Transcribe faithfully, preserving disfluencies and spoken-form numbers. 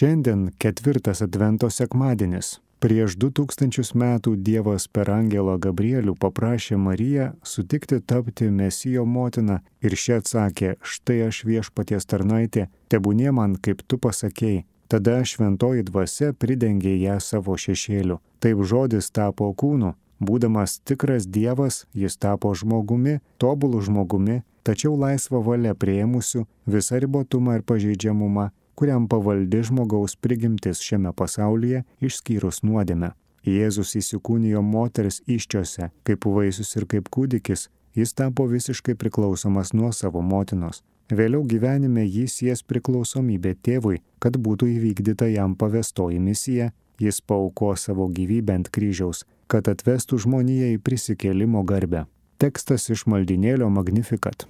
Šiandien ketvirtas Advento sekmadienis. Prieš du tūkstančius metų Dievas per angelą Gabrielių paprašė Mariją sutikti tapti Mesijo motina ir ši atsakė: štai aš viešpaties tarnaitė, tebūnie man kaip tu pasakei. Tada šventoji dvasia pridengė ją savo šešėliu. Taip žodis tapo kūnu. Būdamas tikras Dievas, jis tapo žmogumi, tobulu žmogumi, tačiau laisvą valią priėmusiu visą ribotumą ir pažeidžiamumą, kuriam pavaldi žmogaus prigimtis šiame pasaulyje, išskyrus nuodėmę. Jėzus įsikūnijo moters įsčiose, kaip vaisius ir kaip kūdikis, jis tapo visiškai priklausomas nuo savo motinos. Vėliau gyvenime jį sies priklausomybė tėvui, kad būtų įvykdyta jam pavestoji misija, jis paauko savo gyvybę ant kryžiaus, kad atvestų žmoniją į prisikėlimo garbę. Tekstas iš maldynėlio Magnificat.